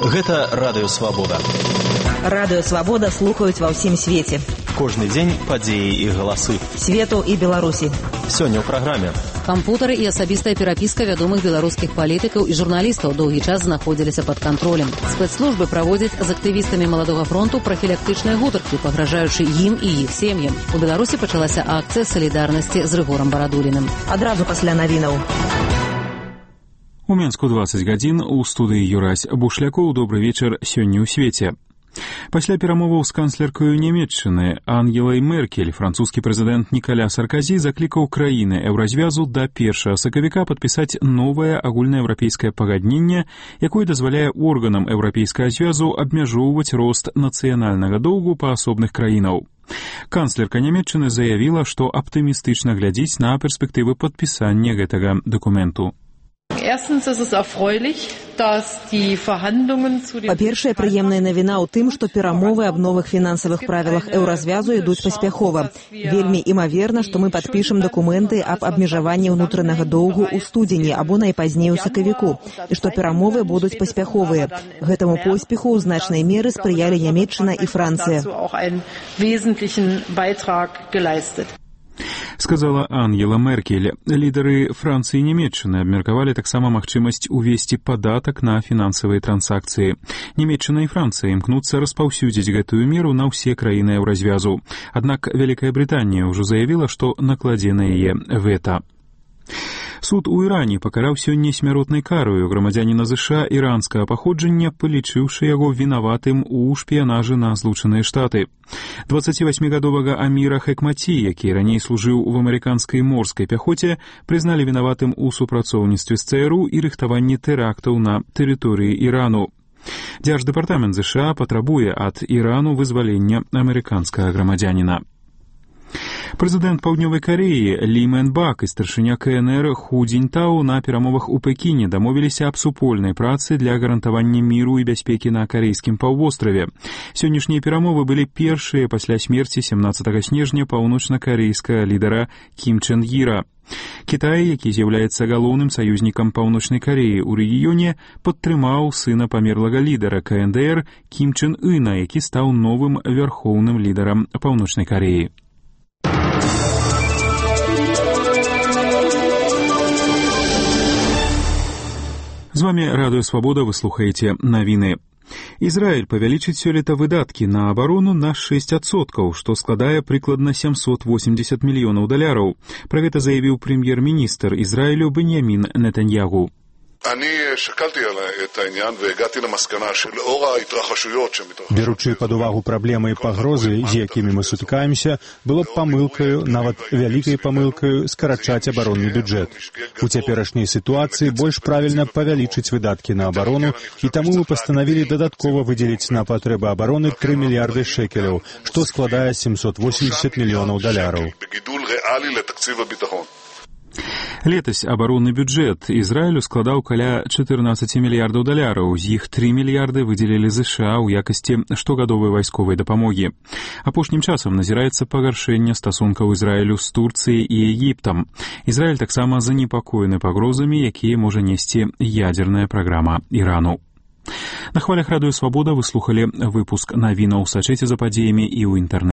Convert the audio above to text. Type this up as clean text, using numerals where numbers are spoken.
Гэта Радыё Свабода. Радыё Свабода слухаюць ва ўсім свеце. Кожны дзень падзеі і галасы. Свету і Беларусі. Сёння ў праграме. Кампутары і асабістая перапіска вядомых беларускіх палітыкаў і журналістаў доўгі час знаходзіліся пад кантролем. Спецслужбы праводзяць з актывістамі маладога фронту прафілактычныя гутаркі, пагражаючы ім і іх сем'ям. У Беларусі пачалася акцыя салідарнасці з Рыгорам Барадуліным. Адразу пасля навінаў. У Менску 20 гадзін, у студыі Юрась Бушлякоў. Добры вечар сёння ў свеце. Пасля перамоваў з канцлеркаю Нямецчыны Ангелай Меркель французскі прэзідэнт Нікаля Сарказі заклікаў краіны еўразвязу да 1 сакавіка падпісаць новае агульнаеўрапейскае пагадненне, якое дазваляе органам еўрапейскага звязу абмяжоўваць рост нацыянальнага доўгу па асобных краінаў. Канцлерка Нямецчыны заявіла, што аптымістычна глядзіць на перспектывы падпісання гэтага дакументу. Па-першае, прыемная навіна ў тым, што перамовы аб новых фінансавых правілах еўразвязу ідуць паспяхова. Вельмі імаверна, што мы падпішам дакументы аб абмежаванні ўнутранага доўгу ў студзені або найпазней у сакавіку, і што перамовы будуць паспяховыя. Гэтаму поспеху ў значнай меры спрыялі Нямецчына і Францыя. Сказала Ангела Меркель. Лідары Францыі і Нямецчыны абмеркавалі таксама магчымасць увесці падатак на фінансавыя трансакцыі. Нямецчына і Францыя імкнуцца распаўсюдзіць гэтую меру на ўсе краіны еўразвязу. Аднак Вялікая Брытанія ўжо заявіла, што накладзе на яе вета. Суд у Іране пакараў сёння смяротнай караю грамадзяніна ЗША іранскага паходжання, палічыўшы яго вінаватым у шпіянажы на Злучаныя Штаты. 28-гадовага Аміра Хекмаці, які раней служыў у амерыканскай морскай пяхоце, прызналі вінаватым у супрацоўніцтве з ЦРУ і рыхтаванні тэрактаў на тэрыторыі Ірану. Дзярждэпартамент ЗША патрабуе ад Ірану вызвалення амерыканскага грамадзяніна. Прэзідэнт Паўднёвай Карэі Лі Мэн Бак і старшыня КНР Ху Цзіньтао на перамовах у Пекіне дамовіліся аб супольнай працы для гарантавання міру і бяспекі на карэйскім паўвостраве. Сённяшнія перамовы былі першыя пасля смерці 17 снежня паўночна-карэйскага лідара Кім Чен Іра. Кітай, які з'яўляецца галоўным саюзнікам Паўночнай Карэі ў рэгіёне, падтрымаў сына памерлага лідара КНДР Кім Чен Іна, які стаў новым вярхоўным лідарам Паўночнай Карэі. З вами Радыё Свабода, вы слухаеце навіны. Ізраіль павялічыць сёлета выдаткі на абарону на 6%, што складае прыкладна $780 мільёнаў. Пра гэта заявіў прэм'ер-міністр Ізраілю Беньямін Нетаньягу. Беручы пад увагу праблемы і пагрозы, з якімі мы сутыкаемся, было б памылкаю, нават вялікай памылкаю, скарачаць абаронны бюджэт. У цяперашняй сітуацыі больш правільна павялічыць выдаткі на абарону, і таму мы пастанавілі дадаткова выдзеліць на патрэбы абароны 3 мільярды шекеляў, што складае $780 мільёнаў. Летась абаронны бюджэт Ізраілю складаў каля $14 мільярдаў, з іх 3 мільярды выдзелілі ЗША ў якасці штогадовай вайсковай дапамогі. Апошнім часам назіраецца пагаршэнне стасункаў Ізраілю з Турцыяй і Егіптам. Ізраіль таксама занепакоены пагрозамі, якія можа несці ядзерная праграма Ірану. На хвалях Радыё Свабода вы слухалі выпуск навінаў. Сачыце за падзеямі і ў інтэрнэце.